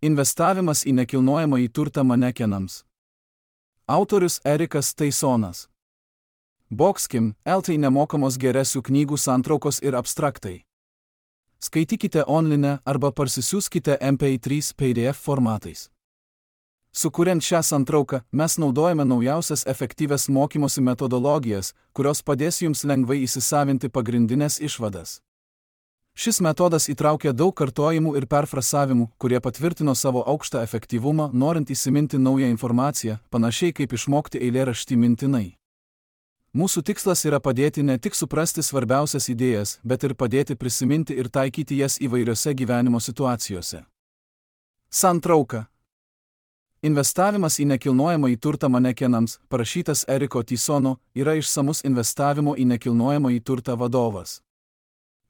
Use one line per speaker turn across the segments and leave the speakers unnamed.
Investavimas į nekilnojamąjį turtą manekenams. Autorius Erikas Taisonas. Boxkim, LT nemokamos geresių knygų santraukos ir abstraktai. Skaitykite online arba parsisiųskite MP3 PDF formatais. Sukuriant šią santrauką, mes naudojame naujausias efektyvias mokymosi metodologijas, kurios padės jums lengvai įsisavinti pagrindinės išvadas. Šis metodas įtraukia daug kartojimų ir perfrasavimų, kurie patvirtino savo aukštą efektyvumą, norint įsiminti naują informaciją, panašiai kaip išmokti eilėraštį mintinai. Mūsų tikslas yra padėti ne tik suprasti svarbiausias idėjas, bet ir padėti prisiminti ir taikyti jas įvairiose gyvenimo situacijose. Santrauka. Investavimas į nekilnojamąjį turtą manekenams, parašytas Eriko Taisono, yra išsamus investavimo į nekilnojamąjį turtą vadovas.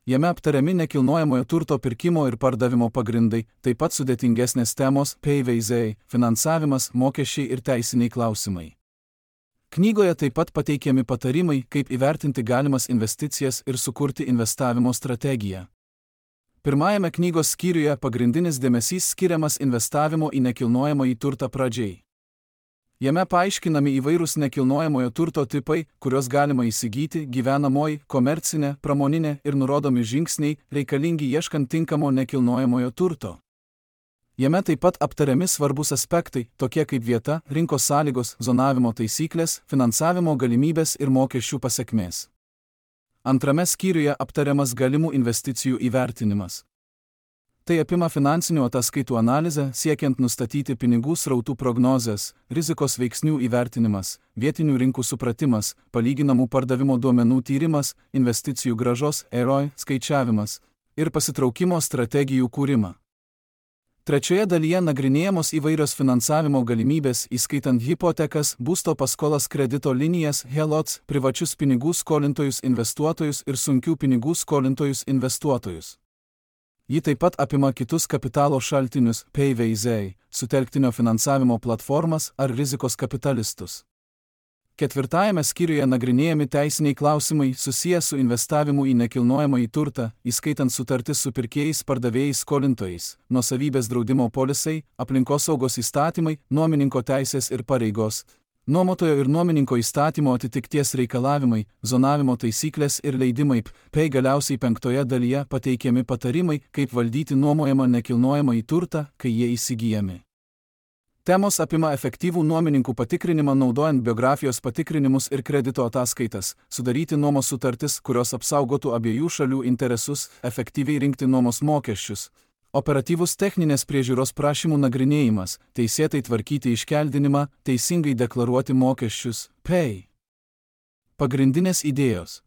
Jame aptariami nekilnojamojo turto pirkimo ir pardavimo pagrindai, taip pat sudėtingesnės temos, PVZ, finansavimas, mokesčiai ir teisiniai klausimai. Knygoje taip pat pateikiami patarimai, kaip įvertinti galimas investicijas ir sukurti investavimo strategiją. Pirmajame knygos skyriuje pagrindinis dėmesys skiriamas investavimo į nekilnojamąjį turtą pradžiai. Jame paaiškinami įvairūs nekilnojamojo turto tipai, kuriuos galima įsigyti, gyvenamoji, komercinė, pramoninė ir nurodomi žingsniai, reikalingi ieškant tinkamo nekilnojamojo turto. Jame taip pat aptariami svarbus aspektai, tokie kaip vieta, rinkos sąlygos, zonavimo taisyklės, finansavimo galimybės ir mokesčių pasekmės. Antrame skyriuje aptariamas galimų investicijų įvertinimas. Tai apima finansinių ataskaitų analizę, siekiant nustatyti pinigų srautų prognozes, rizikos veiksnių įvertinimas, vietinių rinkų supratimas, palyginamų pardavimo duomenų tyrimas, investicijų grąžos ROI skaičiavimas ir pasitraukimo strategijų kūrimą. Trečioje dalyje nagrinėjamos įvairios finansavimo galimybės, įskaitant hipotekas, būsto paskolas, kredito linijas, HELOCs, privačius pinigų skolintojus investuotojus ir sunkių pinigų skolintojus investuotojus. Ji taip pat apima kitus kapitalo šaltinius, PVZ, sutelktinio finansavimo platformas ar rizikos kapitalistus. Ketvirtajame skyriuje nagrinėjami teisiniai klausimai susiję su investavimu į nekilnojamąjį turtą, įskaitant sutartis su pirkėjais, pardavėjais, skolintojais, nuosavybės draudimo polisai, aplinkosaugos įstatymai, nuomininko teisės ir pareigos, nuomotojo ir nuomininko įstatymo atitikties reikalavimai, zonavimo taisyklės ir leidimai, bei galiausiai penktoje dalyje pateikiami patarimai, kaip valdyti nuomojamą nekilnojamąjį turtą, kai jie įsigyjami. Temos apima efektyvų nuomininkų patikrinimą naudojant biografijos patikrinimus ir kredito ataskaitas, sudaryti nuomos sutartis, kurios apsaugotų abiejų šalių interesus, efektyviai rinkti nuomos mokesčius, operatyvus techninės priežiūros prašymų nagrinėjimas, teisėtai tvarkyti iškeldinimą, teisingai deklaruoti mokesčius, PEI. Pagrindinės idėjos.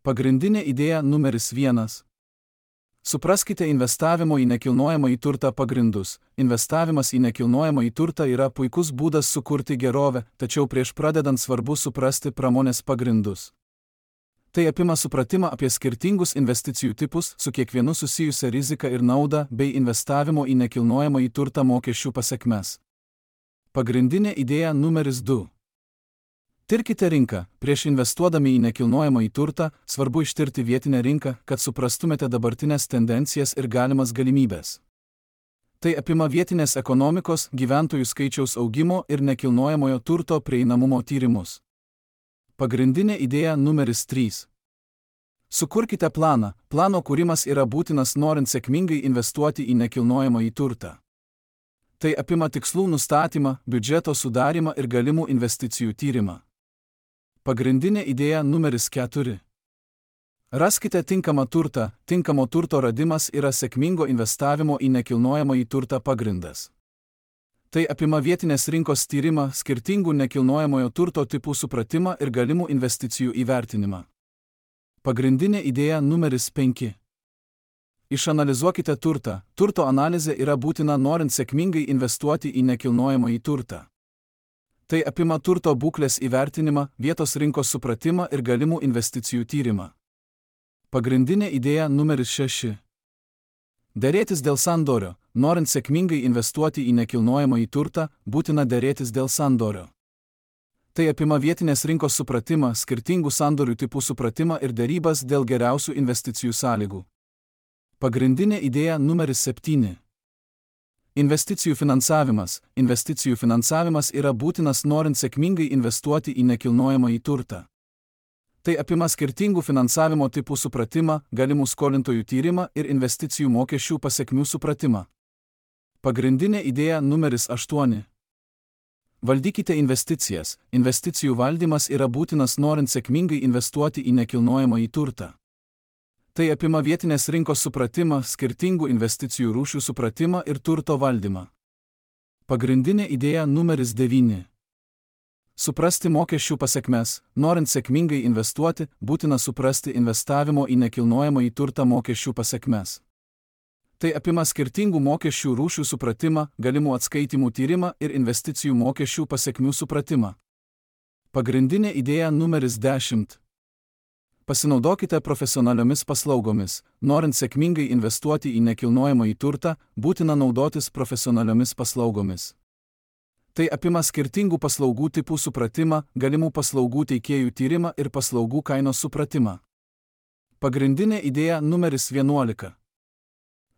Pagrindinė idėja numeris 1. Supraskite investavimo į nekilnojamąjį turtą pagrindus. Investavimas į nekilnojamąjį turtą yra puikus būdas sukurti gerovę, tačiau prieš pradedant svarbu suprasti pramonės pagrindus. Tai apima supratimą apie skirtingus investicijų tipus, su kiekvienu susijusią riziką ir naudą, bei investavimo į nekilnojamąjį turtą mokesčių pasekmes. Pagrindinė idėja numeris 2. Tirkite rinką. Prieš investuodami į nekilnojamąjį turtą, svarbu ištirti vietinę rinką, kad suprastumėte dabartinės tendencijas ir galimas galimybės. Tai apima vietinės ekonomikos, gyventojų skaičiaus augimo ir nekilnojamojo turto prieinamumo tyrimus. Pagrindinė idėja numeris 3. Sukurkite planą. Plano kūrimas yra būtinas norint sėkmingai investuoti į nekilnojamąjį turtą. Tai apima tikslų nustatymą, biudžeto sudarimą ir galimų investicijų tyrimą. Pagrindinė idėja numeris 4. Raskite tinkamą turtą. Tinkamo turto radimas yra sėkmingo investavimo į nekilnojamąjį turtą pagrindas. Tai apima vietinės rinkos tyrimą, skirtingų nekilnojamojo turto tipų supratimą ir galimų investicijų įvertinimą. Pagrindinė idėja numeris 5. Išanalizuokite turtą. Turto analizė yra būtina norint sėkmingai investuoti į nekilnojamąjį turtą. Tai apima turto būklės įvertinimą, vietos rinkos supratimą ir galimų investicijų tyrimą. Pagrindinė idėja numeris 6. Derėtis dėl sandorio. Norint sėkmingai investuoti į nekilnojamąjį turtą, būtina derėtis dėl sandorio. Tai apima vietinės rinkos supratimą, skirtingų sandorių tipų supratimą ir derybas dėl geriausių investicijų sąlygų. Pagrindinė idėja numeris 7. Investicijų finansavimas. Investicijų finansavimas yra būtinas norint sėkmingai investuoti į nekilnojamąjį turtą. Tai apima skirtingų finansavimo tipų supratimą, galimų skolintojų tyrimą ir investicijų mokesčių pasekmių supratimą. Pagrindinė idėja numeris 8. Valdykite investicijas. Investicijų valdymas yra būtinas norint sėkmingai investuoti į nekilnojamąjį turtą. Tai apima vietinės rinkos supratimą, skirtingų investicijų rūšių supratimą ir turto valdymą. Pagrindinė idėja numeris 9. Suprasti mokesčių pasekmes. Norint sėkmingai investuoti, būtina suprasti investavimo į nekilnojamąjį turtą mokesčių pasekmes. Tai apima skirtingų mokesčių rūšių supratimą, galimų atskaitimų tyrimą ir investicijų mokesčių pasekmių supratimą. Pagrindinė idėja numeris 10. Pasinaudokite profesionaliomis paslaugomis. Norint sėkmingai investuoti į nekilnojamąjį turtą, būtina naudotis profesionaliomis paslaugomis. Tai apima skirtingų paslaugų tipų supratimą, galimų paslaugų teikėjų tyrimą ir paslaugų kainos supratimą. Pagrindinė idėja numeris 11.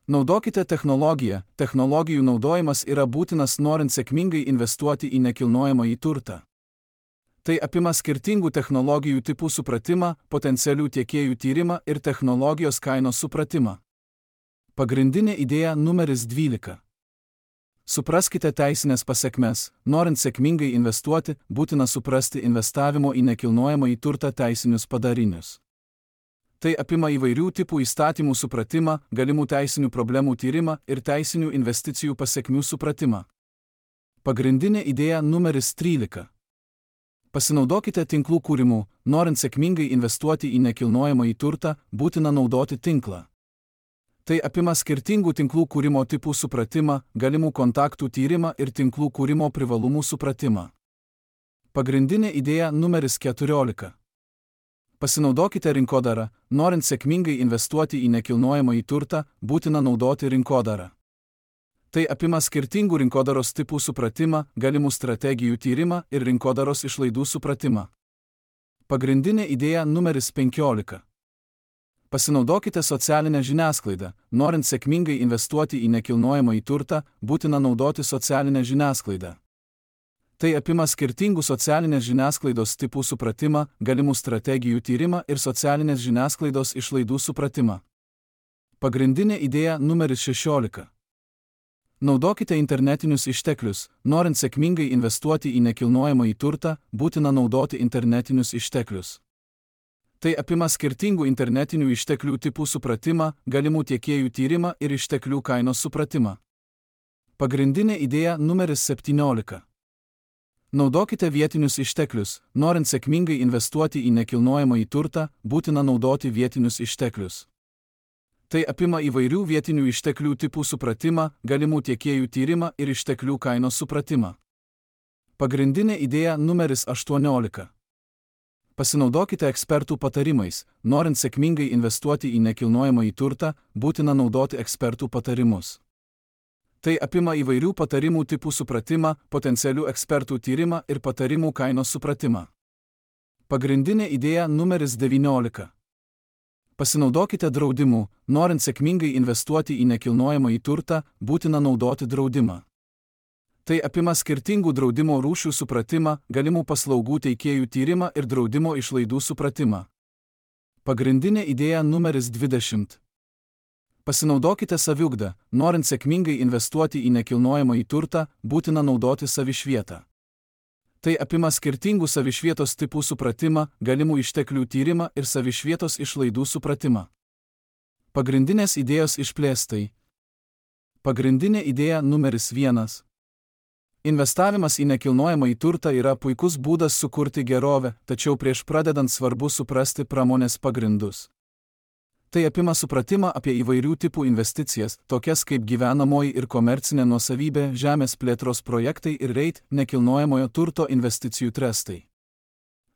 Naudokite technologiją. Technologijų naudojimas yra būtinas norint sėkmingai investuoti į nekilnojamąjį turtą. Tai apima skirtingų technologijų tipų supratimą, potencialių tiekėjų tyrimą ir technologijos kainos supratimą. Pagrindinė idėja numeris 12. Supraskite teisinės pasekmes. Norint sėkmingai investuoti, būtina suprasti investavimo į nekilnojamąjį turtą teisinius padarinius. Tai apima įvairių tipų įstatymų supratimą, galimų teisinių problemų tyrimą ir teisinių investicijų pasekmių supratimą. Pagrindinė idėja numeris 13. Pasinaudokite tinklų kūrimu. Norint sėkmingai investuoti į nekilnojamąjį turtą, būtina naudoti tinklą. Tai apima skirtingų tinklų kūrimo tipų supratimą, galimų kontaktų tyrimą ir tinklų kūrimo privalumų supratimą. Pagrindinė idėja numeris 14. Pasinaudokite rinkodarą. Norint sėkmingai investuoti į nekilnojamąjį turtą, būtina naudoti rinkodarą. Tai apima skirtingų rinkodaros tipų supratimą, galimų strategijų tyrimą ir rinkodaros išlaidų supratimą. Pagrindinė idėja numeris 15. Pasinaudokite socialinę žiniasklaidą. Norint sėkmingai investuoti į nekilnojamąjį turtą, būtina naudoti socialinę žiniasklaidą. Tai apima skirtingų socialinės žiniasklaidos tipų supratimą, galimų strategijų tyrimą ir socialinės žiniasklaidos išlaidų supratimą. Pagrindinė idėja numeris 16. Naudokite internetinius išteklius. Norint sėkmingai investuoti į nekilnojamąjį turtą, būtina naudoti internetinius išteklius. Tai apima skirtingų internetinių išteklių tipų supratimą, galimų tiekėjų tyrimą ir išteklių kainos supratimą. Pagrindinė idėja numeris 17. Naudokite vietinius išteklius. Norint sėkmingai investuoti į nekilnojamąjį turtą, būtina naudoti vietinius išteklius. Tai apima įvairių vietinių išteklių tipų supratimą, galimų tiekėjų tyrimą ir išteklių kainos supratimą. Pagrindinė idėja numeris 18. Pasinaudokite ekspertų patarimais. Norint sėkmingai investuoti į nekilnojamąjį turtą, būtina naudoti ekspertų patarimus. Tai apima įvairių patarimų tipų supratimą, potencialių ekspertų tyrimą ir patarimų kainos supratimą. Pagrindinė idėja numeris 19. Pasinaudokite draudimu. Norint sėkmingai investuoti į nekilnojamąjį turtą, būtina naudoti draudimą. Tai apima skirtingų draudimo rūšių supratimą, galimų paslaugų teikėjų tyrimą ir draudimo išlaidų supratimą. Pagrindinė idėja numeris 20. Pasinaudokite saviugdą. Norint sėkmingai investuoti į nekilnojamąjį turtą, būtina naudoti savišvietą. Tai apima skirtingų savišvietos tipų supratimą, galimų išteklių tyrimą ir savišvietos išlaidų supratimą. Pagrindinės idėjos išplėstai. Pagrindinė idėja numeris 1. Investavimas į nekilnojamąjį turtą yra puikus būdas sukurti gerovę, tačiau prieš pradedant svarbu suprasti pramonės pagrindus. Tai apima supratimą apie įvairių tipų investicijas, tokias kaip gyvenamoji ir komercinė nuosavybė, žemės plėtros projektai ir REIT, nekilnojamojo turto investicijų trestai.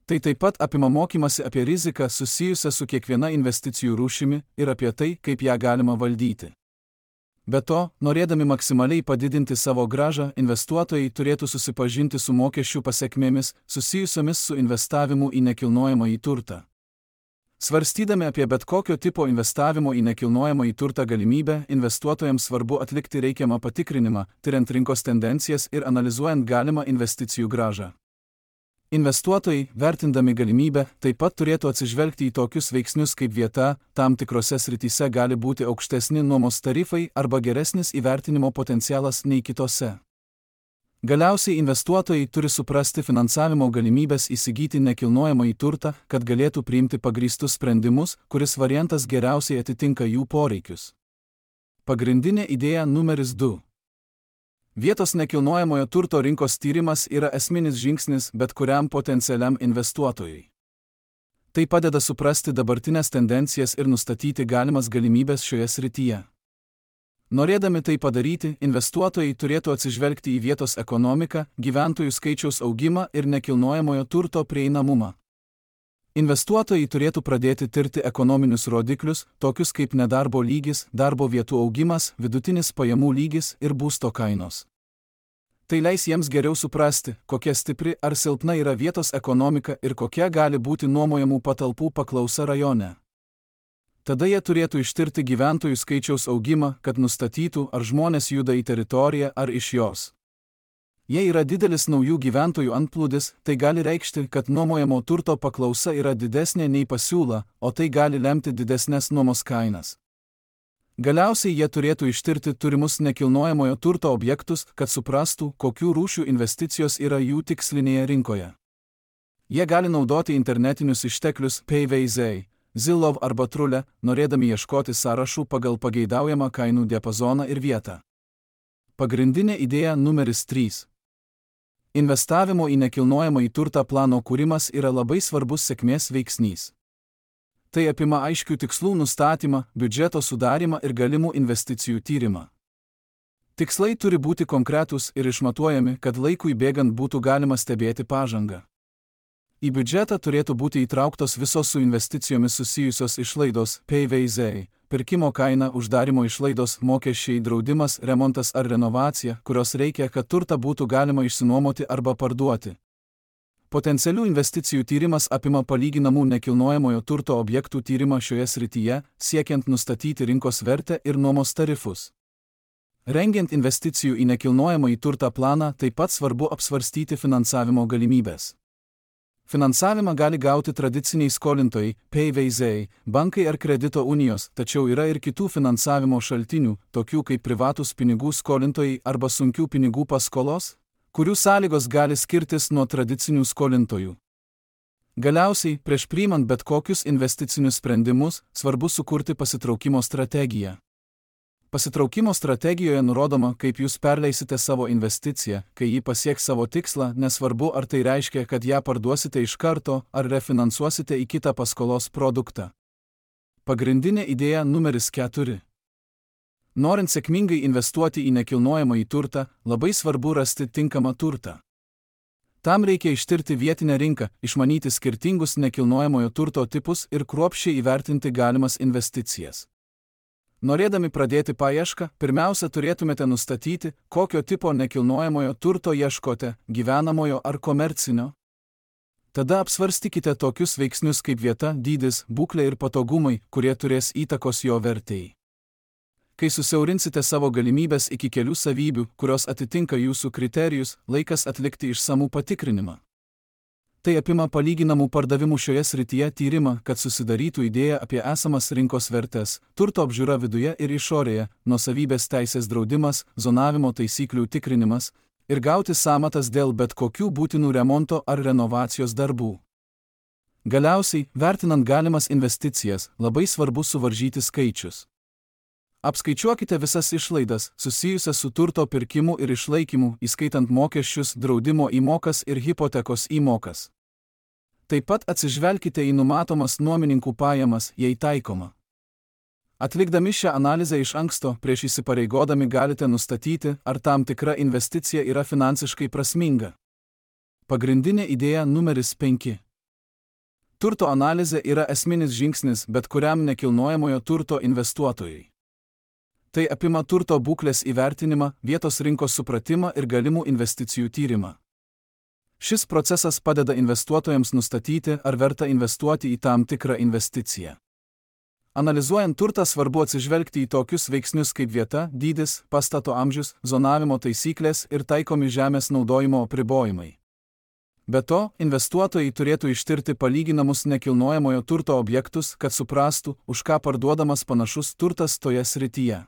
Tai taip pat apima mokymasi apie riziką susijusią su kiekviena investicijų rūšimi ir apie tai, kaip ją galima valdyti. Be to, norėdami maksimaliai padidinti savo grąžą, investuotojai turėtų susipažinti su mokesčių pasekmėmis susijusiomis su investavimu į nekilnojamąjį turtą. Svarstydami apie bet kokio tipo investavimo į nekilnojamąjį turtą galimybę, investuotojams svarbu atlikti reikiamą patikrinimą, tiriant rinkos tendencijas ir analizuojant galimą investicijų grąžą. Investuotojai, vertindami galimybę, taip pat turėtų atsižvelgti į tokius veiksnius kaip vieta, tam tikrose srityse gali būti aukštesni nuomos tarifai arba geresnis įvertinimo potencialas nei kitose. Galiausiai investuotojai turi suprasti finansavimo galimybės įsigyti nekilnojamąjį turtą, kad galėtų priimti pagrįstus sprendimus, kuris variantas geriausiai atitinka jų poreikius. Pagrindinė idėja numeris 2. Vietos nekilnojamojo turto rinkos tyrimas yra esminis žingsnis bet kuriam potencialiam investuotojui. Tai padeda suprasti dabartinės tendencijas ir nustatyti galimas galimybės šioje srityje. Norėdami tai padaryti, investuotojai turėtų atsižvelgti į vietos ekonomiką, gyventojų skaičiaus augimą ir nekilnojamojo turto prieinamumą. Investuotojai turėtų pradėti tirti ekonominius rodiklius, tokius kaip nedarbo lygis, darbo vietų augimas, vidutinis pajamų lygis ir būsto kainos. Tai leis jiems geriau suprasti, kokia stipri ar silpna yra vietos ekonomika ir kokia gali būti nuomojamų patalpų paklausa rajone. Tada jie turėtų ištirti gyventojų skaičiaus augimą, kad nustatytų, ar žmonės juda į teritoriją ar iš jos. Jei yra didelis naujų gyventojų antplūdis, tai gali reikšti, kad nuomojamo turto paklausa yra didesnė nei pasiūla, o tai gali lemti didesnės nuomos kainas. Galiausiai jie turėtų ištirti turimus nekilnojamojo turto objektus, kad suprastų, kokių rūšių investicijos yra jų tikslinėje rinkoje. Jie gali naudoti internetinius išteklius PVZ, Zillow arba Trulę, norėdami ieškoti sąrašų pagal pageidaujamą kainų diapazoną ir vietą. Pagrindinė idėja numeris 3. Investavimo į nekilnojamąjį turtą plano kūrimas yra labai svarbus sėkmės veiksnys. Tai apima aiškių tikslų nustatymą, biudžeto sudarimą ir galimų investicijų tyrimą. Tikslai turi būti konkretūs ir išmatuojami, kad laikui bėgant būtų galima stebėti pažangą. Į biudžetą turėtų būti įtrauktos visos su investicijomis susijusios išlaidos PVZ, pirkimo kaina, uždarimo išlaidos, mokesčiai, draudimas, remontas ar renovacija, kurios reikia, kad turtą būtų galima išsinuomoti arba parduoti. Potencialių investicijų tyrimas apima palyginamų nekilnojamojo turto objektų tyrimą šioje srityje, siekiant nustatyti rinkos vertę ir nuomos tarifus. Rengiant investicijų į nekilnojamąjį turtą planą, taip pat svarbu apsvarstyti finansavimo galimybės. Finansavimą gali gauti tradiciniai skolintojai, PVZ, bankai ar kredito unijos, tačiau yra ir kitų finansavimo šaltinių, tokių kaip privatūs pinigų skolintojai arba sunkių pinigų paskolos, kurių sąlygos gali skirtis nuo tradicinių skolintojų. Galiausiai, prieš priimant bet kokius investicinius sprendimus, svarbu sukurti pasitraukimo strategiją. Pasitraukimo strategijoje nurodoma, kaip jūs perleisite savo investiciją, kai ji pasieks savo tikslą, nesvarbu ar tai reiškia, kad ją parduosite iš karto ar refinansuosite į kitą paskolos produktą. Pagrindinė idėja numeris 4. Norint sėkmingai investuoti į nekilnojamąjį turtą, labai svarbu rasti tinkamą turtą. Tam reikia ištirti vietinę rinką, išmanyti skirtingus nekilnojamojo turto tipus ir kruopščiai įvertinti galimas investicijas. Norėdami pradėti paiešką, pirmiausia turėtumėte nustatyti, kokio tipo nekilnojamojo turto ieškote, gyvenamojo ar komercinio. Tada apsvarstykite tokius veiksnius kaip vieta, dydis, būklė ir patogumai, kurie turės įtakos jo vertei. Kai susiaurinsite savo galimybės iki kelių savybių, kurios atitinka jūsų kriterijus, laikas atlikti išsamų patikrinimą. Tai apima palyginamų pardavimų šioje srityje tyrimą, kad susidarytų idėja apie esamas rinkos vertes, turto apžiūra viduje ir išorėje, nuosavybės teisės draudimas, zonavimo taisyklių tikrinimas ir gauti sąmatas dėl bet kokių būtinų remonto ar renovacijos darbų. Galiausiai, vertinant galimas investicijas, labai svarbu suvaržyti skaičius. Apskaičiuokite visas išlaidas, susijusias su turto pirkimu ir išlaikymu, įskaitant mokesčius, draudimo įmokas ir hipotekos įmokas. Taip pat atsižvelkite į numatomas nuomininkų pajamas, jei taikoma. Atlikdami šią analizę iš anksto, prieš įsipareigodami galite nustatyti, ar tam tikra investicija yra finansiškai prasminga. Pagrindinė idėja numeris 5. Turto analizė yra esminis žingsnis bet kuriam nekilnojamojo turto investuotojui. Tai apima turto būklės įvertinimą, vietos rinkos supratimą ir galimų investicijų tyrimą. Šis procesas padeda investuotojams nustatyti, ar verta investuoti į tam tikrą investiciją. Analizuojant turtą svarbu atsižvelgti į tokius veiksnius kaip vieta, dydis, pastato amžius, zonavimo taisyklės ir taikomi žemės naudojimo apribojimai. Be to, investuotojai turėtų ištirti palyginamus nekilnojamojo turto objektus, kad suprastų, už ką parduodamas panašus turtas toje srityje.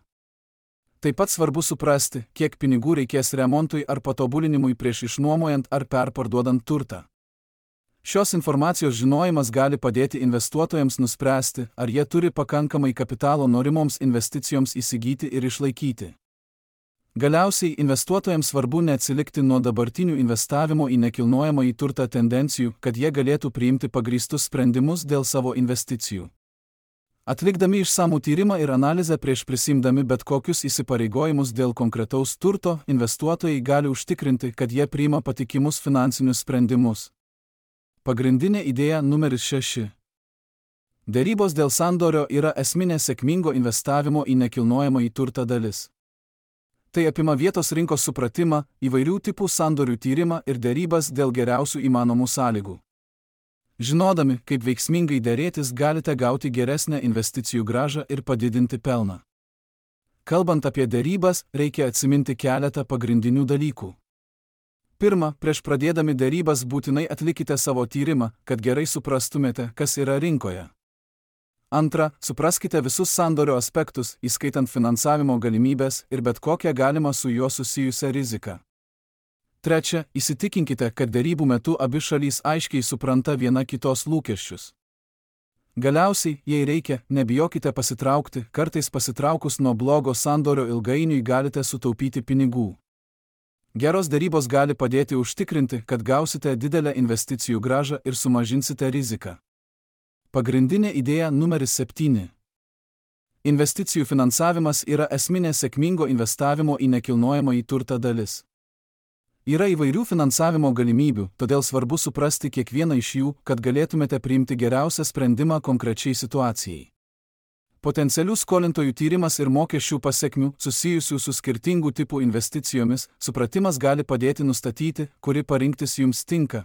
Taip pat svarbu suprasti, kiek pinigų reikės remontui ar patobulinimui prieš išnuomojant ar perparduodant turtą. Šios informacijos žinojimas gali padėti investuotojams nuspręsti, ar jie turi pakankamai kapitalo norimoms investicijoms įsigyti ir išlaikyti. Galiausiai investuotojams svarbu neatsilikti nuo dabartinių investavimo į nekilnojamąjį turtą tendencijų, kad jie galėtų priimti pagrįstus sprendimus dėl savo investicijų. Atlikdami išsamų tyrimą ir analizę prieš prisimdami bet kokius įsipareigojimus dėl konkretaus turto, investuotojai gali užtikrinti, kad jie priima patikimus finansinius sprendimus. Pagrindinė idėja numeris 6. Derybos dėl sandorio yra esminė sėkmingo investavimo į nekilnojamąjį turtą dalis. Tai apima vietos rinkos supratimą, įvairių tipų sandorių tyrimą ir derybas dėl geriausių įmanomų sąlygų. Žinodami, kaip veiksmingai derėtis, galite gauti geresnę investicijų grąžą ir padidinti pelną. Kalbant apie derybas, reikia atsiminti keletą pagrindinių dalykų. Pirma, prieš pradėdami derybas būtinai atlikite savo tyrimą, kad gerai suprastumėte, kas yra rinkoje. Antra, supraskite visus sandorio aspektus, įskaitant finansavimo galimybės ir bet kokią galimą su juo susijusią riziką. Trečia, įsitikinkite, kad derybų metu abi šalys aiškiai supranta viena kitos lūkesčius. Galiausiai, jei reikia, nebijokite pasitraukti, kartais pasitraukus nuo blogo sandorio ilgainiui galite sutaupyti pinigų. Geros derybos gali padėti užtikrinti, kad gausite didelę investicijų grąžą ir sumažinsite riziką. Pagrindinė idėja numeris 7. Investicijų finansavimas yra esminė sėkmingo investavimo į nekilnojamąjį turtą dalis. Yra įvairių finansavimo galimybių, todėl svarbu suprasti kiekvieną iš jų, kad galėtumėte priimti geriausią sprendimą konkrečiai situacijai. Potencialių skolintojų tyrimas ir mokesčių pasekmių, susijusių su skirtingų tipų investicijomis, supratimas gali padėti nustatyti, kuri parinktis jums tinka.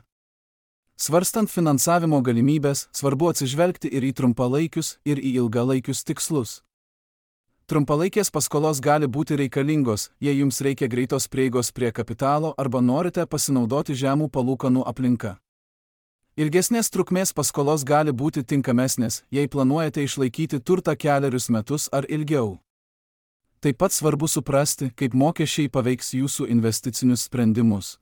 Svarstant finansavimo galimybės, svarbu atsižvelgti ir į trumpalaikius, ir į ilgalaikius tikslus. Trumpalaikės paskolos gali būti reikalingos, jei jums reikia greitos prieigos prie kapitalo arba norite pasinaudoti žemų palūkanų aplinka. Ilgesnės trukmės paskolos gali būti tinkamesnės, jei planuojate išlaikyti turtą kelerius metus ar ilgiau. Taip pat svarbu suprasti, kaip mokesčiai paveiks jūsų investicinius sprendimus.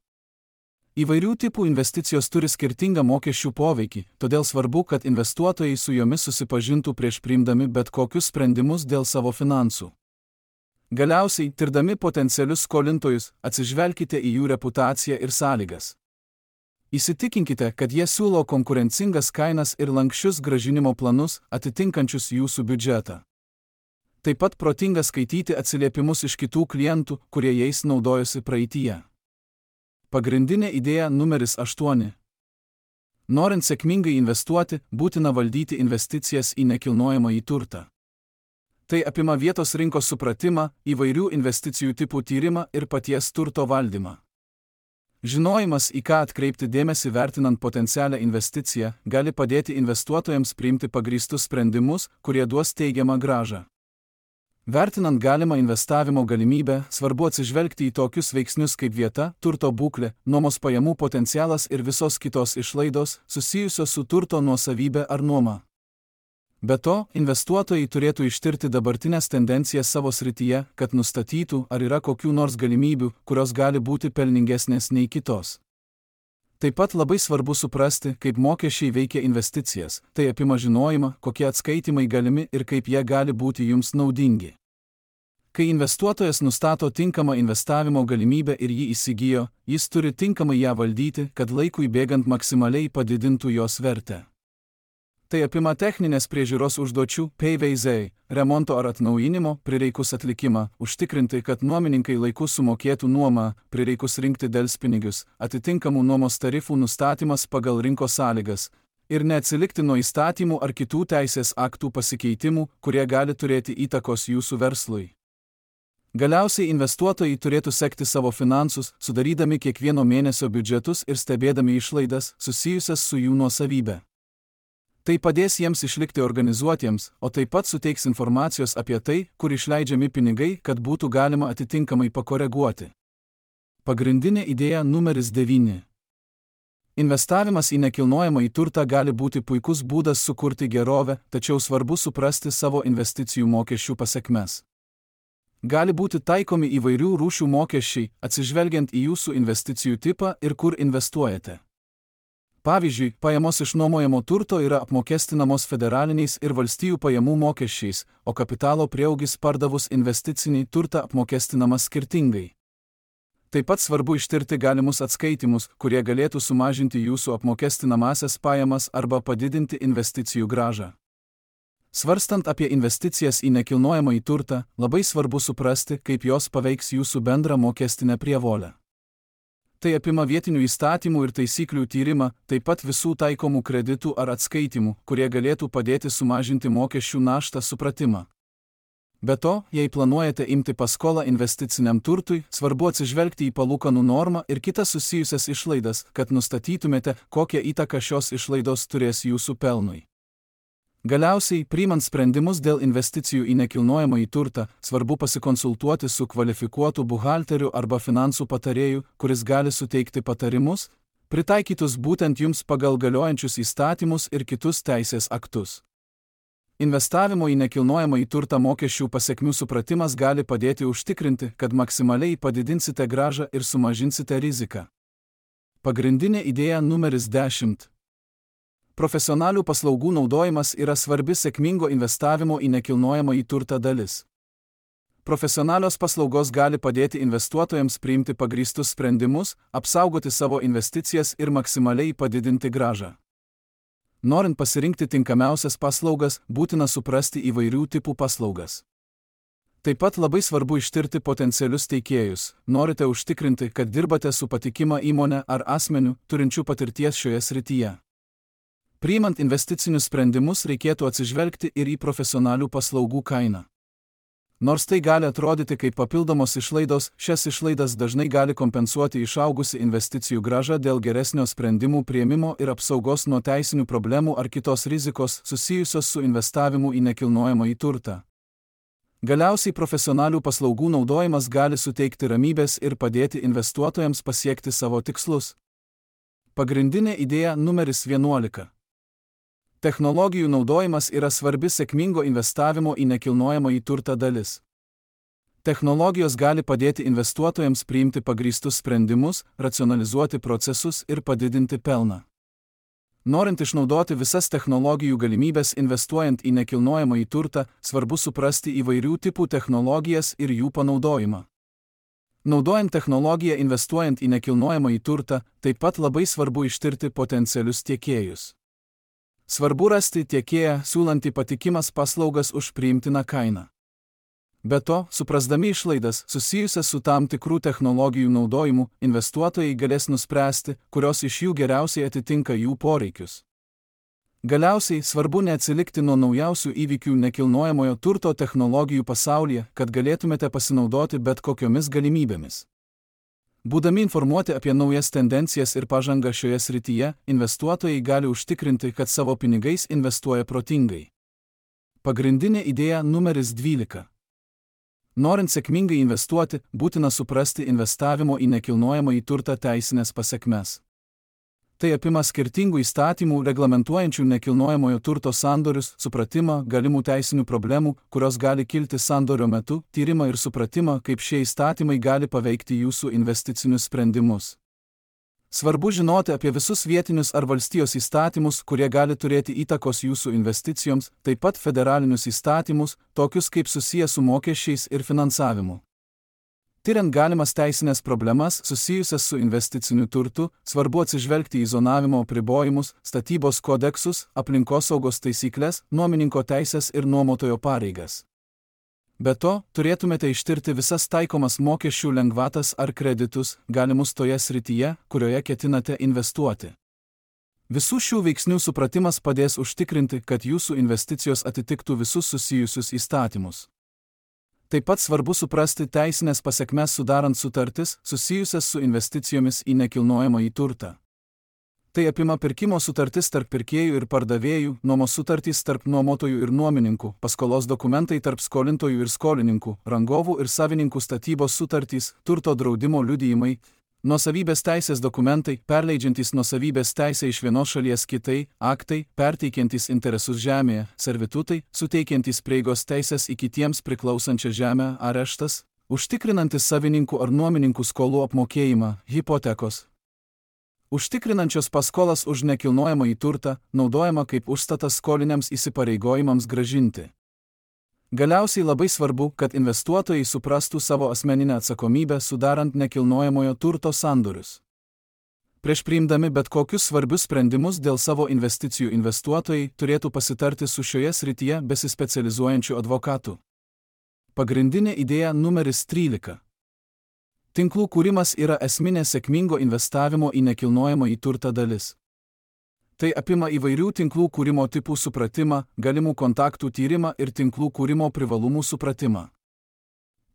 Įvairių tipų investicijos turi skirtingą mokesčių poveikį, todėl svarbu, kad investuotojai su jomis susipažintų prieš priimdami bet kokius sprendimus dėl savo finansų. Galiausiai, tirdami potencialius skolintojus, atsižvelkite į jų reputaciją ir sąlygas. Įsitikinkite, kad jie siūlo konkurencingas kainas ir lanksčius grąžinimo planus, atitinkančius jūsų biudžetą. Taip pat protinga skaityti atsiliepimus iš kitų klientų, kurie jais naudojosi praeityje. Pagrindinė idėja numeris 8. Norint sėkmingai investuoti, būtina valdyti investicijas į nekilnojamąjį turtą. Tai apima vietos rinkos supratimą, įvairių investicijų tipų tyrimą ir paties turto valdymą. Žinojimas, į ką atkreipti dėmesį vertinant potencialią investiciją, gali padėti investuotojams priimti pagrįstus sprendimus, kurie duos teigiamą grąžą. Vertinant galimą investavimo galimybę, svarbu atsižvelgti į tokius veiksnius kaip vieta, turto būklė, nuomos pajamų potencialas ir visos kitos išlaidos, susijusios su turto nuosavybė ar nuoma. Be to, investuotojai turėtų ištirti dabartinės tendencijas savo srityje, kad nustatytų, ar yra kokių nors galimybių, kurios gali būti pelningesnės nei kitos. Taip pat labai svarbu suprasti, kaip mokesčiai veikia investicijas, tai apima žinojimą, kokie atskaitimai galimi ir kaip jie gali būti jums naudingi. Kai investuotojas nustato tinkamą investavimo galimybę ir jį įsigijo, jis turi tinkamai ją valdyti, kad laikui bėgant maksimaliai padidintų jos vertę. Tai apima techninės priežiūros užduočių, PVZ, remonto ar atnaujinimo, prireikus atlikimą, užtikrinti, kad nuomininkai laiku sumokėtų nuomą, prireikus rinkti delspinigius, atitinkamų nuomos tarifų nustatymas pagal rinkos sąlygas ir neatsilikti nuo įstatymų ar kitų teisės aktų pasikeitimų, kurie gali turėti įtakos jūsų verslui. Galiausiai investuotojai turėtų sekti savo finansus, sudarydami kiekvieno mėnesio biudžetus ir stebėdami išlaidas susijusias su jų nuosavybė. Tai padės jiems išlikti organizuotiems, o taip pat suteiks informacijos apie tai, kur išleidžiami pinigai, kad būtų galima atitinkamai pakoreguoti. Pagrindinė idėja numeris 9. Investavimas į nekilnojamąjį turtą gali būti puikus būdas sukurti gerovę, tačiau svarbu suprasti savo investicijų mokesčių pasekmes. Gali būti taikomi įvairių rūšių mokesčiai, atsižvelgiant į jūsų investicijų tipą ir kur investuojate. Pavyzdžiui, pajamos iš nuomojamo turto yra apmokestinamos federaliniais ir valstijų pajamų mokesčiais, o kapitalo prieaugis pardavus investicinį turtą apmokestinamas skirtingai. Taip pat svarbu ištirti galimus atskaitimus, kurie galėtų sumažinti jūsų apmokestinamąsias pajamas arba padidinti investicijų grąžą. Svarstant apie investicijas į nekilnojamąjį turtą, labai svarbu suprasti, kaip jos paveiks jūsų bendrą mokestinę prievolę. Tai apima vietinių įstatymų ir taisyklių tyrimą, taip pat visų taikomų kreditų ar atskaitimų, kurie galėtų padėti sumažinti mokesčių naštą supratimą. Be to, jei planuojate imti paskolą investiciniam turtui, svarbu atsižvelgti į palūkanų normą ir kitas susijusias išlaidas, kad nustatytumėte, kokią įtaką šios išlaidos turės jūsų pelnui. Galiausiai, priimant sprendimus dėl investicijų į nekilnojamąjį turtą, svarbu pasikonsultuoti su kvalifikuotu buhalteriu arba finansų patarėju, kuris gali suteikti patarimus, pritaikytus būtent jums pagal galiojančius įstatymus ir kitus teisės aktus. Investavimo į nekilnojamąjį turtą mokesčių pasekmių supratimas gali padėti užtikrinti, kad maksimaliai padidinsite grąžą ir sumažinsite riziką. Pagrindinė idėja numeris 10. Profesionalių paslaugų naudojimas yra svarbi sėkmingo investavimo į nekilnojamąjį turtą dalis. Profesionalios paslaugos gali padėti investuotojams priimti pagrįstus sprendimus, apsaugoti savo investicijas ir maksimaliai padidinti grąžą. Norint pasirinkti tinkamiausias paslaugas, būtina suprasti įvairių tipų paslaugas. Taip pat labai svarbu ištirti potencialius teikėjus. Norite užtikrinti, kad dirbate su patikima įmonė ar asmeniu, turinčiu patirties šioje srityje. Priimant investicinius sprendimus reikėtų atsižvelgti ir į profesionalių paslaugų kainą. Nors tai gali atrodyti kaip papildomos išlaidos, šias išlaidas dažnai gali kompensuoti išaugusi investicijų grąža dėl geresnio sprendimų priėmimo ir apsaugos nuo teisinių problemų ar kitos rizikos susijusios su investavimu į nekilnojamąjį turtą. Galiausiai profesionalių paslaugų naudojimas gali suteikti ramybės ir padėti investuotojams pasiekti savo tikslus. Pagrindinė idėja numeris 11. Technologijų naudojimas yra svarbi sėkmingo investavimo į nekilnojamąjį turtą dalis. Technologijos gali padėti investuotojams priimti pagrįstus sprendimus, racionalizuoti procesus ir padidinti pelną. Norint išnaudoti visas technologijų galimybės investuojant į nekilnojamąjį turtą, svarbu suprasti įvairių tipų technologijas ir jų panaudojimą. Naudojant technologiją investuojant į nekilnojamąjį turtą, taip pat labai svarbu ištirti potencialius tiekėjus. Svarbu rasti tiekėją, siūlantį patikimas paslaugas už priimtiną kainą. Be to, suprasdami išlaidas susijusias su tam tikrų technologijų naudojimu, investuotojai galės nuspręsti, kurios iš jų geriausiai atitinka jų poreikius. Galiausiai, svarbu neatsilikti nuo naujausių įvykių nekilnojamojo turto technologijų pasaulyje, kad galėtumėte pasinaudoti bet kokiomis galimybėmis. Būdami informuoti apie naujas tendencijas ir pažangą šioje srityje, investuotojai gali užtikrinti, kad savo pinigais investuoja protingai. Pagrindinė idėja numeris 12. Norint sėkmingai investuoti, būtina suprasti investavimo į nekilnojamąjį turtą teisinės pasekmes. Tai apima skirtingų įstatymų reglamentuojančių nekilnojamojo turto sandorius, supratimą galimų teisinių problemų, kurios gali kilti sandorio metu, tyrimą ir supratimą, kaip šie įstatymai gali paveikti jūsų investicinius sprendimus. Svarbu žinoti apie visus vietinius ar valstijos įstatymus, kurie gali turėti įtakos jūsų investicijoms, taip pat federalinius įstatymus, tokius kaip susiję su mokesčiais ir finansavimu. Tiriant galimas teisinės problemas susijusias su investiciniu turtu, svarbu atsižvelgti į zonavimo apribojimus, statybos kodeksus, aplinkosaugos taisyklės, nuomininko teisės ir nuomotojo pareigas. Be to, turėtumėte ištirti visas taikomas mokesčių lengvatas ar kreditus, galimus toje srityje, kurioje ketinate investuoti. Visų šių veiksnių supratimas padės užtikrinti, kad jūsų investicijos atitiktų visus susijusius įstatymus. Taip pat svarbu suprasti teisinės pasekmes sudarant sutartis susijusias su investicijomis į nekilnojamąjį turtą. Tai apima pirkimo sutartis tarp pirkėjų ir pardavėjų, nuomos sutartys tarp nuomotojų ir nuomininkų, paskolos dokumentai tarp skolintojų ir skolininkų, rangovų ir savininkų statybos sutartys, turto draudimo liudijimai, nuosavybės teisės dokumentai, perleidžiantys nuosavybės teisę iš vienos šalies kitai, aktai, perteikiantys interesus žemėje, servitutai, suteikiantys prieigos teisės į kitiems priklausančią žemę, areštas, užtikrinantis savininkų ar nuomininkų skolų apmokėjimą, hipotekos, užtikrinančios paskolas už nekilnojamąjį turtą, naudojama kaip užstatas skoliniams įsipareigojimams grąžinti. Galiausiai labai svarbu, kad investuotojai suprastų savo asmeninę atsakomybę sudarant nekilnojamojo turto sandorius. Prieš priimdami bet kokius svarbius sprendimus dėl savo investicijų investuotojai turėtų pasitarti su šioje srityje besispecializuojančiu advokatu. Pagrindinė idėja numeris 13. Tinklų kūrimas yra esminė sėkmingo investavimo į nekilnojamąjį turtą dalis. Tai apima įvairių tinklų kūrimo tipų supratimą, galimų kontaktų tyrimą ir tinklų kūrimo privalumų supratimą.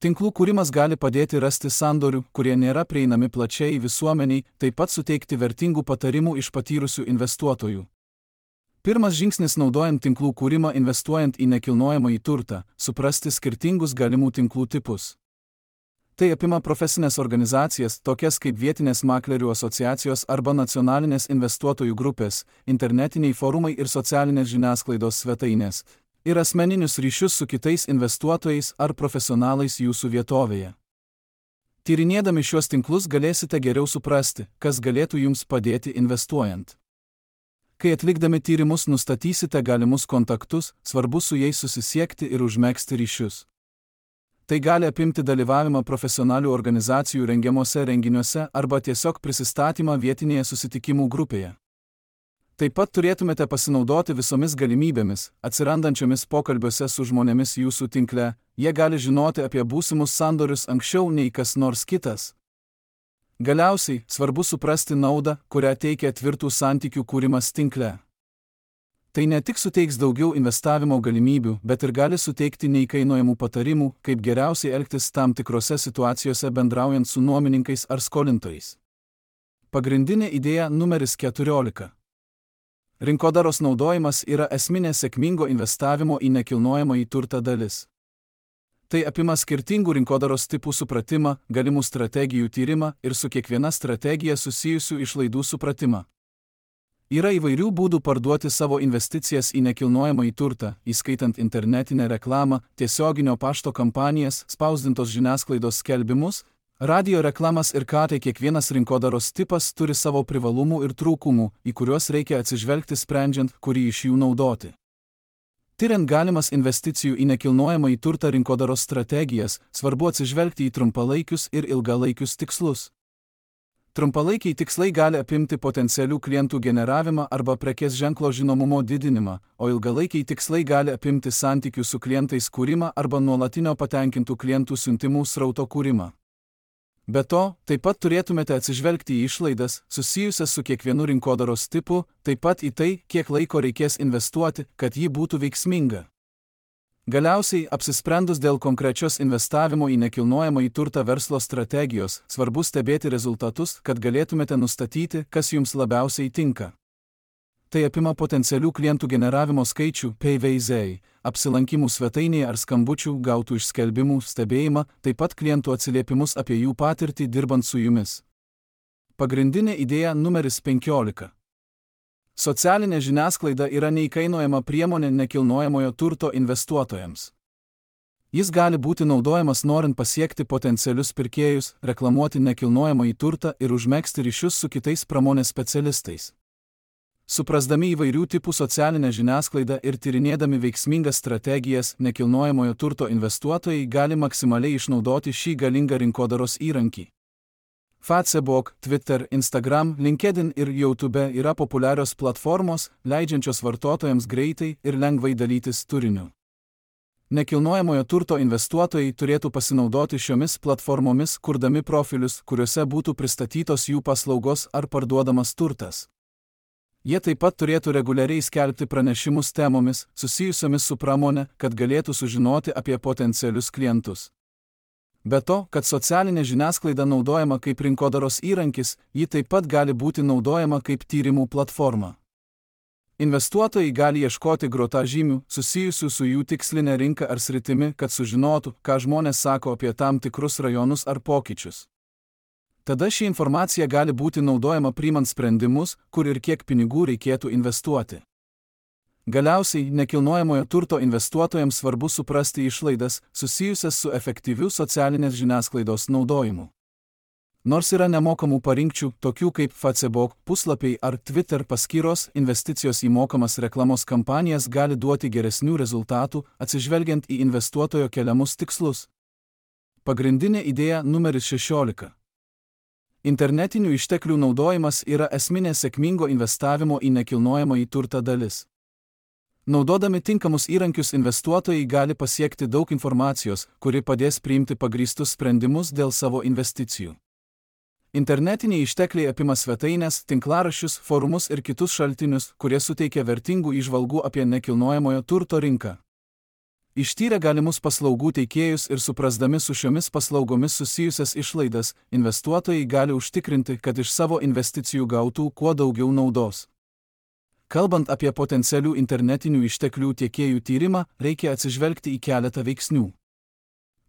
Tinklų kūrimas gali padėti rasti sandorių, kurie nėra prieinami plačiai visuomeniai, taip pat suteikti vertingų patarimų iš patyrusių investuotojų. Pirmas žingsnis naudojant tinklų kūrimą investuojant į nekilnojamąjį turtą – suprasti skirtingus galimų tinklų tipus. Tai apima profesinės organizacijas, tokias kaip vietinės maklerių asociacijos arba nacionalinės investuotojų grupės, internetiniai forumai ir socialinės žiniasklaidos svetainės, ir asmeninius ryšius su kitais investuotojais ar profesionalais jūsų vietovėje. Tyrinėdami šiuos tinklus galėsite geriau suprasti, kas galėtų jums padėti investuojant. Kai atlikdami tyrimus nustatysite galimus kontaktus, svarbu su jais susisiekti ir užmegzti ryšius. Tai gali apimti dalyvavimą profesionalių organizacijų rengiamuose renginiuose arba tiesiog prisistatymą vietinėje susitikimų grupėje. Taip pat turėtumėte pasinaudoti visomis galimybėmis, atsirandančiomis pokalbiuose su žmonėmis jūsų tinkle, jie gali žinoti apie būsimus sandorius anksčiau nei kas nors kitas. Galiausiai, svarbu suprasti naudą, kurią teikia tvirtų santykių kūrimas tinkle. Tai ne tik suteiks daugiau investavimo galimybių, bet ir gali suteikti neįkainojamų patarimų, kaip geriausiai elgtis tam tikrose situacijose bendraujant su nuomininkais ar skolintojais. Pagrindinė idėja numeris 14. Rinkodaros naudojimas yra esminė sėkmingo investavimo į nekilnojamąjį turtą dalis. Tai apima skirtingų rinkodaros tipų supratimą, galimų strategijų tyrimą ir su kiekviena strategija susijusių išlaidų supratimą. Yra įvairių būdų parduoti savo investicijas į nekilnojamąjį turtą, įskaitant internetinę reklamą, tiesioginio pašto kampanijas, spausdintos žiniasklaidos skelbimus, radio reklamas ir ką tai kiekvienas rinkodaros tipas turi savo privalumų ir trūkumų, į kuriuos reikia atsižvelgti sprendžiant, kurį iš jų naudoti. Tyriant galimas investicijų į nekilnojamąjį turtą rinkodaros strategijas, svarbu atsižvelgti į trumpalaikius ir ilgalaikius tikslus. Trumpalaikiai tikslai gali apimti potencialių klientų generavimą arba prekės ženklo žinomumo didinimą, o ilgalaikiai tikslai gali apimti santykių su klientais kūrimą arba nuolatinio patenkintų klientų siuntimų srauto kūrimą. Be to, taip pat turėtumėte atsižvelgti į išlaidas, susijusias su kiekvienu rinkodaros tipu, taip pat į tai, kiek laiko reikės investuoti, kad ji būtų veiksminga. Galiausiai, apsisprendus dėl konkrečios investavimo į nekilnojamąjį turtą verslo strategijos, svarbu stebėti rezultatus, kad galėtumėte nustatyti, kas jums labiausiai tinka. Tai apima potencialių klientų generavimo skaičių, PVZ, apsilankimų svetainėje ar skambučių gautų iš skelbimų stebėjimą, taip pat klientų atsiliepimus apie jų patirtį dirbant su jumis. Pagrindinė idėja numeris 15. Socialinė žiniasklaida yra neįkainojama priemonė nekilnojamojo turto investuotojams. Jis gali būti naudojamas norint pasiekti potencialius pirkėjus, reklamuoti nekilnojamąjį turtą ir užmegzti ryšius su kitais pramonės specialistais. Suprasdami įvairių tipų socialinę žiniasklaidą ir tyrinėdami veiksmingas strategijas, nekilnojamojo turto investuotojai gali maksimaliai išnaudoti šį galingą rinkodaros įrankį. Facebook, Twitter, Instagram, LinkedIn ir YouTube yra populiarios platformos, leidžiančios vartotojams greitai ir lengvai dalytis turiniu. Nekilnojamojo turto investuotojai turėtų pasinaudoti šiomis platformomis, kurdami profilius, kuriuose būtų pristatytos jų paslaugos ar parduodamas turtas. Jie taip pat turėtų reguliariai skelbti pranešimus temomis, susijusiomis su pramonė, kad galėtų sužinoti apie potencialius klientus. Be to, kad socialinė žiniasklaida naudojama kaip rinkodaros įrankis, ji taip pat gali būti naudojama kaip tyrimų platforma. Investuotojai gali ieškoti grotažymių, susijusių su jų tikslinė rinka ar sritimi, kad sužinotų, ką žmonės sako apie tam tikrus rajonus ar pokyčius. Tada ši informacija gali būti naudojama priimant sprendimus, kur ir kiek pinigų reikėtų investuoti. Galiausiai, nekilnojamojo turto investuotojams svarbu suprasti išlaidas, susijusias su efektyviu socialinės žiniasklaidos naudojimu. Nors yra nemokamų parinkčių, tokių kaip Facebook puslapiai ar Twitter paskyros, investicijos į mokamas reklamos kampanijas gali duoti geresnių rezultatų, atsižvelgiant į investuotojo keliamus tikslus. Pagrindinė idėja numeris 16. Internetinių išteklių naudojimas yra esminė sėkmingo investavimo į nekilnojamąjį turtą dalis. Naudodami tinkamus įrankius investuotojai gali pasiekti daug informacijos, kuri padės priimti pagrįstus sprendimus dėl savo investicijų. Internetiniai ištekliai apima svetaines, tinklaraščius, forumus ir kitus šaltinius, kurie suteikia vertingų įžvalgų apie nekilnojamojo turto rinką. Ištyrę galimus paslaugų teikėjus ir suprasdami su šiomis paslaugomis susijusias išlaidas, investuotojai gali užtikrinti, kad iš savo investicijų gautų kuo daugiau naudos. Kalbant apie potencialių internetinių išteklių tiekėjų tyrimą, reikia atsižvelgti į keletą veiksnių.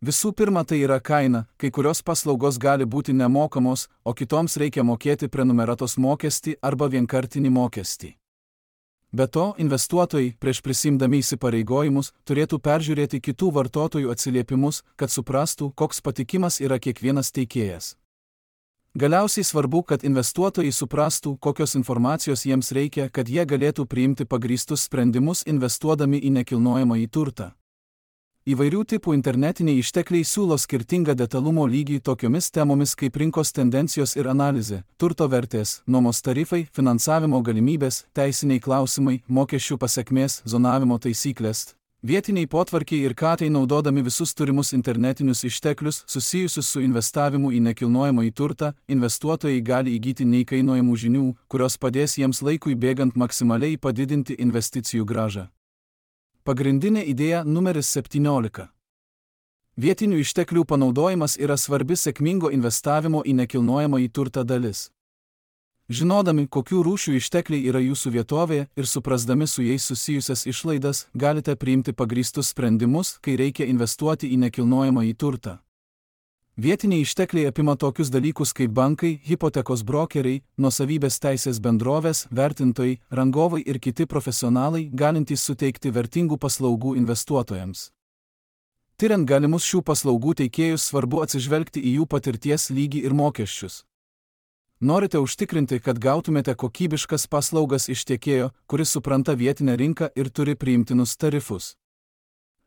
Visų pirma, tai yra kaina, kai kurios paslaugos gali būti nemokamos, o kitoms reikia mokėti prenumeratos mokestį arba vienkartinį mokestį. Be to, investuotojai, prieš prisimdami įsipareigojimus, turėtų peržiūrėti kitų vartotojų atsiliepimus, kad suprastų, koks patikimas yra kiekvienas teikėjas. Galiausiai svarbu, kad investuotojai suprastų, kokios informacijos jiems reikia, kad jie galėtų priimti pagrįstus sprendimus investuodami į nekilnojamąjį turtą. Įvairių tipų internetiniai ištekliai siūlo skirtingą detalumo lygį tokiomis temomis kaip rinkos tendencijos ir analizė, turto vertės, nuomos tarifai, finansavimo galimybės, teisiniai klausimai, mokesčių pasekmės, zonavimo taisyklės. Vietiniai potvarkiai ir katai naudodami visus turimus internetinius išteklius susijusius su investavimu į nekilnojamąjį turtą, investuotojai gali įgyti neįkainojamų žinių, kurios padės jiems laikui bėgant maksimaliai padidinti investicijų grąžą. Pagrindinė idėja numeris 17. Vietinių išteklių panaudojimas yra svarbi sėkmingo investavimo į nekilnojamąjį turtą dalis. Žinodami, kokių rūšių ištekliai yra jūsų vietovėje ir suprasdami su jais susijusias išlaidas, galite priimti pagrįstus sprendimus, kai reikia investuoti į nekilnojamąjį turtą. Vietiniai ištekliai apima tokius dalykus kaip bankai, hipotekos brokeriai, nuosavybės teisės bendrovės, vertintojai, rangovai ir kiti profesionalai, galintys suteikti vertingų paslaugų investuotojams. Tiriant galimus šių paslaugų teikėjus, svarbu atsižvelgti į jų patirties lygį ir mokesčius. Norite užtikrinti, kad gautumėte kokybiškas paslaugas iš tiekėjo, kuris supranta vietinę rinką ir turi priimtinus tarifus.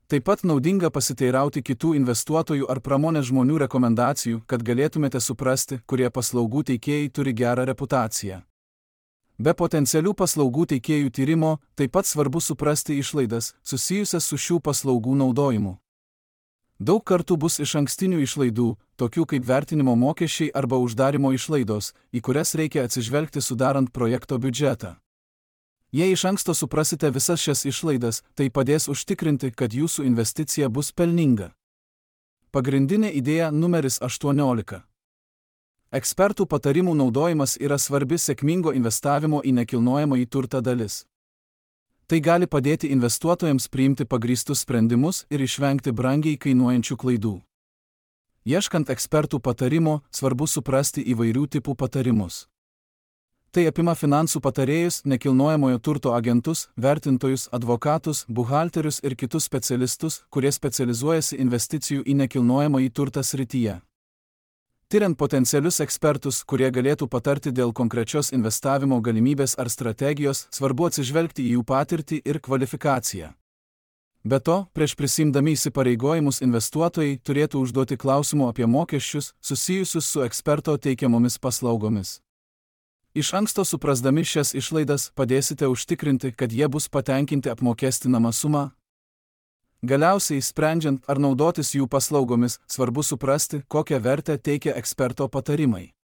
Taip pat naudinga pasiteirauti kitų investuotojų ar pramonės žmonių rekomendacijų, kad galėtumėte suprasti, kurie paslaugų teikėjai turi gerą reputaciją. Be potencialių paslaugų teikėjų tyrimo, taip pat svarbu suprasti išlaidas, susijusias su šių paslaugų naudojimu. Daug kartų bus išankstinių išlaidų, tokių kaip vertinimo mokesčiai arba uždarimo išlaidos, į kurias reikia atsižvelgti sudarant projekto biudžetą. Jei iš anksto suprasite visas šias išlaidas, tai padės užtikrinti, kad jūsų investicija bus pelninga. Pagrindinė idėja numeris 18. Ekspertų patarimų naudojimas yra svarbi sėkmingo investavimo į nekilnojamąjį turtą dalis. Tai gali padėti investuotojams priimti pagrįstus sprendimus ir išvengti brangiai kainuojančių klaidų. Ieškant ekspertų patarimo, svarbu suprasti įvairių tipų patarimus. Tai apima finansų patarėjus, nekilnojamojo turto agentus, vertintojus, advokatus, buhalterius ir kitus specialistus, kurie specializuojasi investicijų į nekilnojamąjį turtą srityje. Tiriant potencialius ekspertus, kurie galėtų patarti dėl konkrečios investavimo galimybės ar strategijos, svarbu atsižvelgti į jų patirtį ir kvalifikaciją. Be to, prieš prisimdami įsipareigojimus investuotojai turėtų užduoti klausimų apie mokesčius, susijusius su eksperto teikiamomis paslaugomis. Iš anksto suprasdami šias išlaidas padėsite užtikrinti, kad jie bus patenkinti apmokestinama suma. Galiausiai, sprendžiant ar naudotis jų paslaugomis, svarbu suprasti, kokią vertę teikia eksperto patarimai.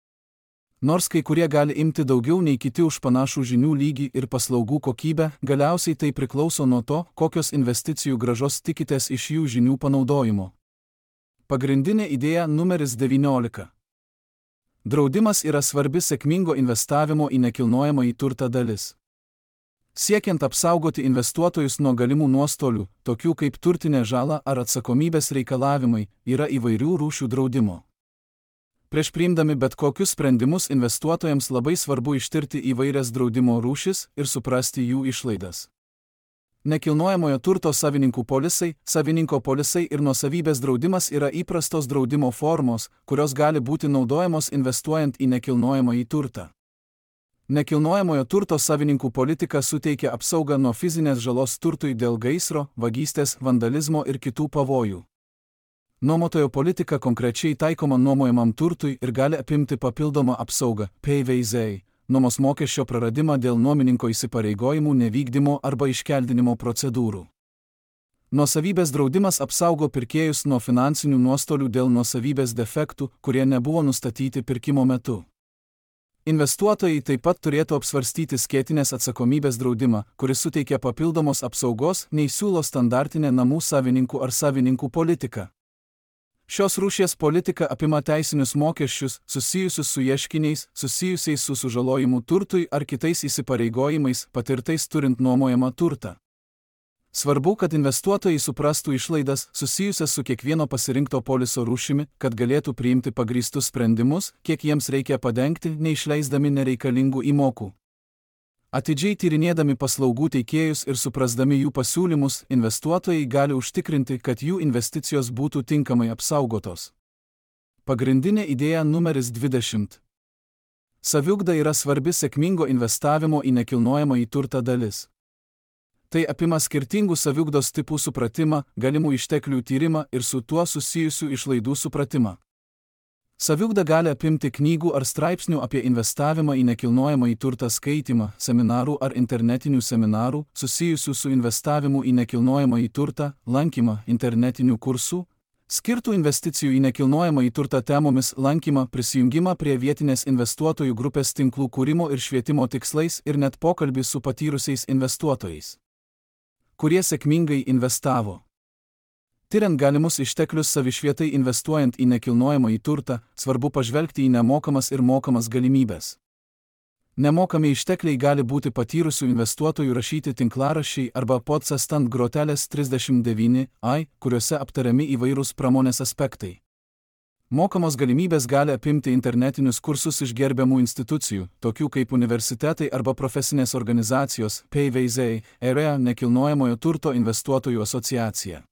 Nors kai kurie gali imti daugiau nei kiti už panašų žinių lygį ir paslaugų kokybę, galiausiai tai priklauso nuo to, kokios investicijų grąžos tikitės iš jų žinių panaudojimo. Pagrindinė idėja numeris 19. Draudimas yra svarbi sėkmingo investavimo į nekilnojamąjį turtą dalis. Siekiant apsaugoti investuotojus nuo galimų nuostolių, tokių kaip turtinė žala ar atsakomybės reikalavimai, yra įvairių rūšių draudimo. Prieš priimdami bet kokius sprendimus investuotojams labai svarbu ištirti įvairias draudimo rūšis ir suprasti jų išlaidas. Nekilnojamojo turto savininkų polisai, savininko polisai ir nuosavybės draudimas yra įprastos draudimo formos, kurios gali būti naudojamos investuojant į nekilnojamąjį turtą. Nekilnojamojo turto savininkų politika suteikia apsaugą nuo fizinės žalos turtui dėl gaisro, vagystės, vandalizmo ir kitų pavojų. Nuomotojo politika konkrečiai taikoma nuomojamam turtui ir gali apimti papildomą apsaugą, PVZ, nuomos mokesčio praradimą dėl nuomininko įsipareigojimų nevykdymo arba iškeldinimo procedūrų. Nuosavybės draudimas apsaugo pirkėjus nuo finansinių nuostolių dėl nuosavybės defektų, kurie nebuvo nustatyti pirkimo metu. Investuotojai taip pat turėtų apsvarstyti skėtinės atsakomybės draudimą, kuris suteikia papildomos apsaugos, nei siūlo standartinė namų savininkų ar savininkų politika. Šios rūšies politika apima teisinius mokesčius, susijusius su ieškiniais, susijusiais su sužalojimu turtui ar kitais įsipareigojimais, patirtais turint nuomojamą turtą. Svarbu, kad investuotojai suprastų išlaidas, susijusias su kiekvieno pasirinkto poliso rūšimi, kad galėtų priimti pagrįstus sprendimus, kiek jiems reikia padengti, neišleisdami nereikalingų įmokų. Atidžiai tyrinėdami paslaugų teikėjus ir suprasdami jų pasiūlymus, investuotojai gali užtikrinti, kad jų investicijos būtų tinkamai apsaugotos. Pagrindinė idėja numeris 20. Saviugda yra svarbi sėkmingo investavimo į nekilnojamąjį turtą dalis. Tai apima skirtingų saviugdos tipų supratimą, galimų išteklių tyrimą ir su tuo susijusių išlaidų supratimą. Saviugda gali apimti knygų ar straipsnių apie investavimą į nekilnojamąjį turtą skaitymą, seminarų ar internetinių seminarų, susijusių su investavimu į nekilnojamąjį turtą, lankymą internetinių kursų, skirtų investicijų į nekilnojamąjį turtą temomis lankymą, prisijungimą prie vietinės investuotojų grupės tinklų kūrimo ir švietimo tikslais ir net pokalbį su patyrusiais investuotojais, kurie sėkmingai investavo. Tiriant galimus išteklius savišvietai investuojant į nekilnojamąjį turtą, svarbu pažvelgti į nemokamas ir mokamas galimybės. Nemokami ištekliai gali būti patyrusių investuotojų rašyti tinklaraščiai arba podcast ant grotelės 39, kuriuose aptariami įvairūs pramonės aspektai. Mokamos galimybės gali apimti internetinius kursus iš gerbiamų institucijų, tokių kaip universitetai arba profesinės organizacijos, PVZ, EREA nekilnojamojo turto investuotojų asociacija.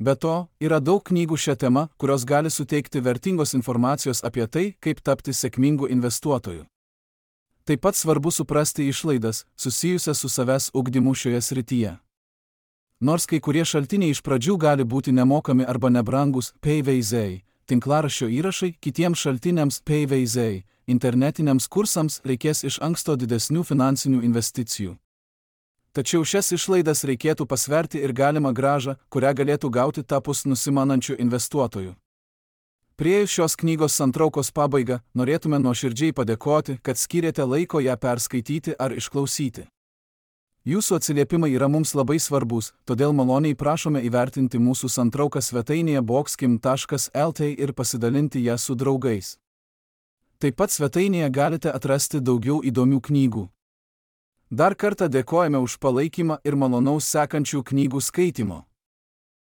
Be to, yra daug knygų šią temą, kurios gali suteikti vertingos informacijos apie tai, kaip tapti sėkmingu investuotoju. Taip pat svarbu suprasti išlaidas, susijusias su savęs ugdymu šioje srityje. Nors kai kurie šaltiniai iš pradžių gali būti nemokami arba nebrangus, PVZ, tinklaraščio įrašai, kitiems šaltiniams PVZ, internetiniams kursams reikės iš anksto didesnių finansinių investicijų. Tačiau šias išlaidas reikėtų pasverti ir galimą grąžą, kurią galėtų gauti tapus nusimanančių investuotojų. Priėjus šios knygos santraukos pabaigą, norėtume nuoširdžiai padėkoti, kad skyrėte laiko ją perskaityti ar išklausyti. Jūsų atsiliepimai yra mums labai svarbus, todėl maloniai prašome įvertinti mūsų santrauką svetainėje boxkim.lt ir pasidalinti ją su draugais. Taip pat svetainėje galite atrasti daugiau įdomių knygų. Dar kartą dėkojame už palaikymą ir malonaus sekančių knygų skaitimo.